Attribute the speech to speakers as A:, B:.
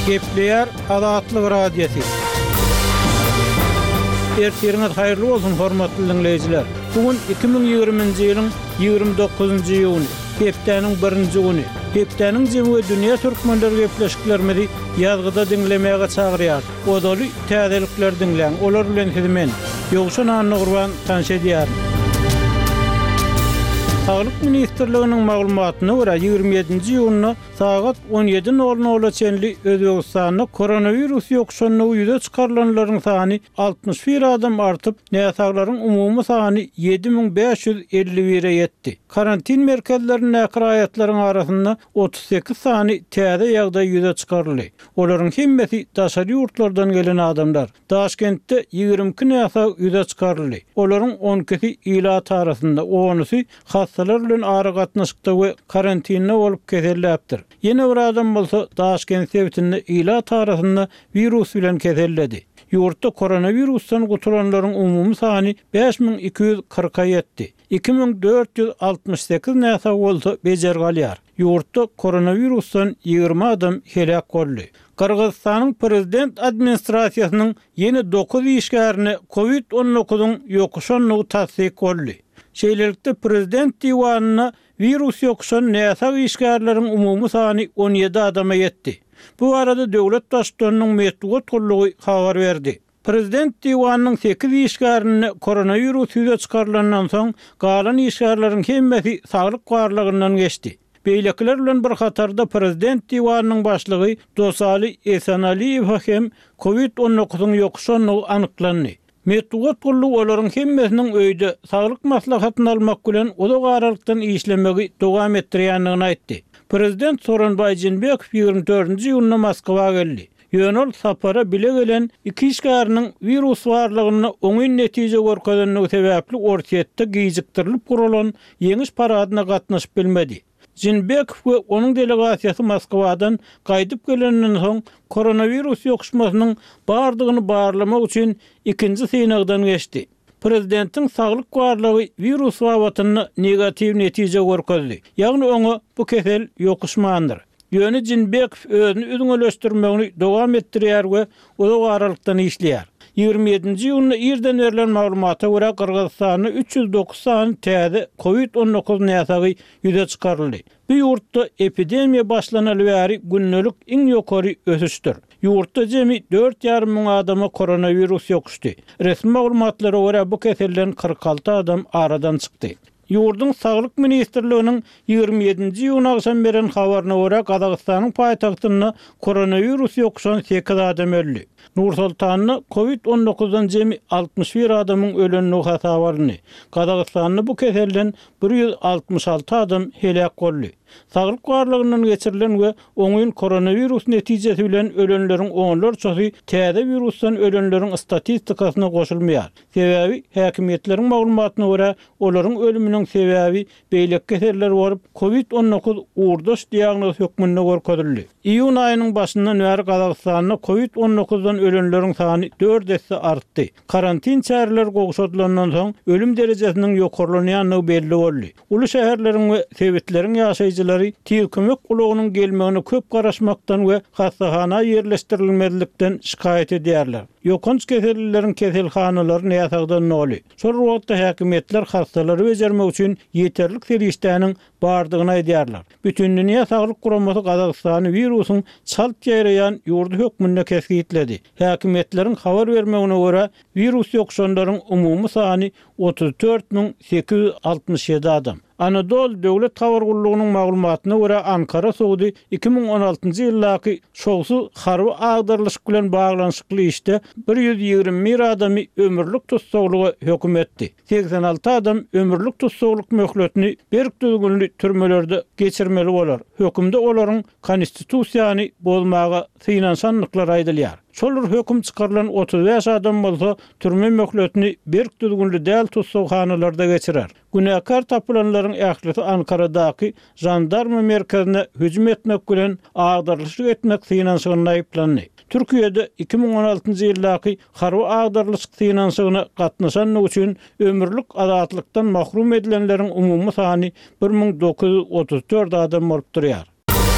A: Gepleýär Azatlyk Radiosy. Ertiriňiz haýyrly bolsun, hormatly diňleýjiler! Bu gün 2020-nji ýylyň 29-njy iýuny, hepdäniň birinji güni. Hepdäniň jemi we dünýä türkmenleri gepleşiklerimizi ýazgyda diňlemäge çagyrýarys. Ozaly täzelikleri diňläň, olar bilen sizi men, Ýowşan Annagurban tanyş edýärin. Saglyk ministrliginiň maglumatyna görä, 27-nji iýunda sagat 17 nol nola çenli Özbegistanda koronawirus ýokuşandygy ýüze çykarylanlaryň sany 61 adam artyp, näsaglaryň umumy sany 7551-e ýetdi. Karantin merkezlerindäki raýatlaryň arasynda 38 sany täze ýagdaý ýüze çykaryldy. Olaryň hemmesi daşary ýurtlardan gelen adamlar. Daşkentde 22 näsag ýüze çykaryldy. Olaryň on ikisi ilat arasynda, onusy hassalar bilen aragatnaşykda we karantinde bolup keselläpdir. Ýene bir adam bolsa Daşkent sebitinde ilat arasynda wirus bilen keselledi. Ýurtda koronawirusdan gutulanlaryň umumy sany 5240-a ýetdi. 2468 näsag bolsa bejergi alýar. Ýurtda koronawirusdan 20 adam heläk boldy. Gyrgyzystanyň prezident administrasiýasynyň ýene dokuz işgärine kowid on dokuzyň ýokuşandygy tassyk boldy. Şeýlelikde, prezident diwanynda wirus ýokuşan näsag işgärleriň umumy sany 17 adama ýetdi. Bu barada döwlet Baştutanynyň metbugat gullugy habar berdi. Prezident diwanynyň sekiz işgärinde koronawirus ýüze çykarylandan soň, galan işgärleriň hemmesi saglyk barlagyndan geçdi. Beýlekiler bilen bir hatarda Prezident diwanynyň başlygy Dosali Esenaliýewe hem kowid on dokuzyň ýokuşandygy anyklandy. Metbugat gullugy olaryň hemmesiniň öýde saglyk maslahatyny almak bilen uzak aralykdan işlemegi dowam etdirýändigini aýtdy. Prezident Sooronbaý Jeenbekow 24-nji iýunda Moskwa geldi. Ýöne ol sapara bile gelen iki işgäriniň wirus barlagynda oňyn netije görkezendigi sebäpli Orsýetde gijikdirilip guralan Ýeňiş paradyna gatnaşyp bilmedi. Jeenbekow we onuň delegasiýasy Moskwadan gaýdyp geleninden soň koronawirus ýokuşmasynyň bardygyny barlamak üçin ikinji synagdan geçdi. Prezidentiň saglyk barlagy wirus babatynda negatiw netije görkezdi, ýagny oňa bu kesel ýokuşmandyr. Ýöne Jeenbekow özüni üzňeleşdirmegini dowam etdirýär we uzak aralykdan işleýär. 27-nji iýunda irden berlen maglumata görä, Gyrgyzystanda 309 sany täze kowid 19 näsagy ýüze çykaryldy. Bu ýurtda epidemiýa başlanaly bäri gündelik iň ýokary ösüşdir. Ýurtda jemi dört ýarym müň adama koronawirus ýokuşdy. Resmi maglumatlara görä, bu keselden 46 adam aradan çykdy. Ýurduň Saglyk ministrliginiň 27-nji iýun agşam beren habaryna görä, Gazagystanyň paýtagtynda koronawirus ýokuşan sekiz adam öldi. Nur-Sultanda kowid on dokuzdan jemi 61 adamyň ölendigi hasaba alyndy. Gazagystanda bu keselden 166 adam heläk boldy. Saglyk barlagyndan geçirilen we oňyn koronawirus netijesi bilen ölenleriň onlarçasy täze wirusdan ölenleriň statistikasyna goşulmaýar. Sebäbi, häkimiýetleriň maglumatyna görä, olaryň ölüminiň sebäbi beýleki keseller bolup, kowid 19 ugurdaş diagnoz hökmünde görkezildi. Iýun aýynyň başyndan bäri Gazagystanda kowid 19-dan ölenleriň sany dört esse artdy. Karantin çäreleri gowşadylandan soň, ölüm derejesiniň ýokarlanýandygy belli boldy. Uly şäherleriň we sebitleriň ýaşaýjylary tiz kömek ulagynyň gelmegine köp garaşmakdan we hassahana ýerleşdirilmezlikden şikaýat edýärler. Ýokanç kesellileriň keselhanalary näsagdan doly. Şol bir wagtda häkimiýetler hassalary bejermek üçin ýeterlik serişdäniň bardygyny aýdýarlar. Bütindünýä saglyk guramasy Gazagystany wirusyň çalt ýaýraýan ýurdy hökmünde kesgitledi. Häkimiýetleriň habar bermegine görä, wirus ýokuşanlaryň umumy sany 34 867 adam. Anadolu döwlet habar gullugynyň maglumatyna görä, Ankara sudy 2016-njy ýyldaky şowsuz harby agdarylyşyk bilen baglanyşykly işde 121 adamy ömürlik tussaglyga höküm etdi. 86 adam ömürlik tussaglyk möhletini berk düzgünli türmelerde geçirmeli bolar. Hökümde olaryň konstitusiýany bozmaga synanyşandyklary aýdylýar. Şol bir höküm çykarylan 35 adam bolsa türme möhletini berk düzgünli däl tussaghanalarda geçirer. Günäkär tapylanlaryň ählisi Ankaradaky žandarma merkezine hüjüm etmek bilen agdarylyşyk etmek synanyşygynda aýyplandy. Türkiýede 2016-njy ýyldaky harby agdarylyşyk synanyşygyna gatnaşandygy üçin ömürlik azatlykdan mahrum edilenleriň umumy sany 1934 adam bolup durýar.